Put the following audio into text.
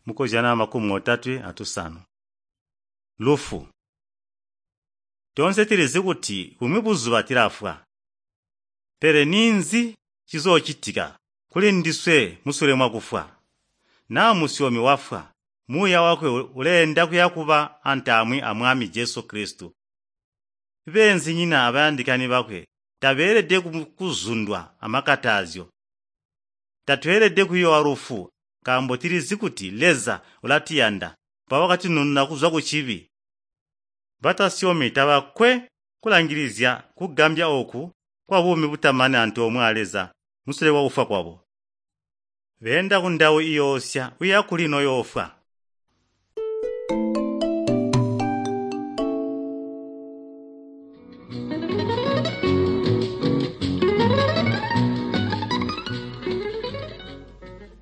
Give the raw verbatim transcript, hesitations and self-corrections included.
Mukozyano makumi otatwe atusanu. Lufu. Toonse tulizi kuti bumwi buzuba tulafwa. Pele ninzi cizoocitika kuli ndiswe musule mwakufwa? Naa musyomi wafwa, muuya wakwe uleenda kuya kuba antaamwi a Mwami Jesu Kilisito. Beenzinyina abayandikani bakwe tabeelede kuzundwa amakatazyo. Tatweelede kuyoowa lufu nkaambo tulizi kuti Leza ulatuyanda mpawo wakatunununa kuzwa kucibi. Batasyomi tabakwe kulangilizya kugambya ooku kwabuumi butamani antoomwe a Leza musule kwakufwa kwabo. Beenda kundawu iyoosya uya kuli noyoofwa.